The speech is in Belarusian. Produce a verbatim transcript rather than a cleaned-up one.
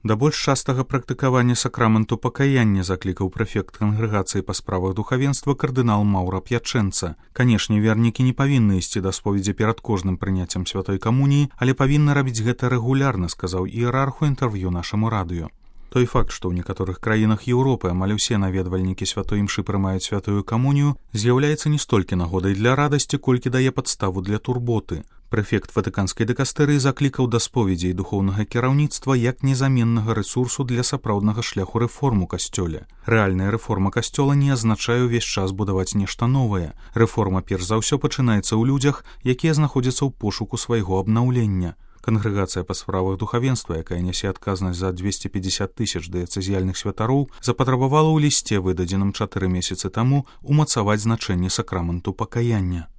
Да больш частага практыкавання сакраменту пакаяння заклікаў прэфект кангрэгацыі па справах духавенства кардынал Маўра П'ячэнца. Канешне, вернікі не павінны ісці да споведзі перад кожным прыняццем святой камуніі, але павінны рабіць гэта рэгулярна, сказаў іерарх у інтэрв'ю нашаму радыё. Той факт, што ў некаторых краінах Еўропы амаль усе наведвальнікі святой імшы прымаюць святую камунію, з'яўляецца не столькі нагодай для радасці, колькі дае падставу для турботы. Прэфект ватыканскай дыкастэрыі заклікаў да споведзі і духоўнага кіраўніцтва як незаменнага рэсурсу для сапраўднага шляху рэформ у касцёле. Рэальная рэформа касцёла не азначае ўвесь час будаваць нешта новае. Рэформа перш за ўсё пачынаецца ў людзях, якія знаходзяцца ў пошуку свайго абнаўлення. Кангрэгацыя па справах духавенства, якая нясе адказнасць за дзвесце пятьдесят тысяч дыяцэзіяльных святароў, запатрабавала ў лісце, выдадзеным чатыры месяцы таму, умацаваць значэнне сакраменту пакаяння.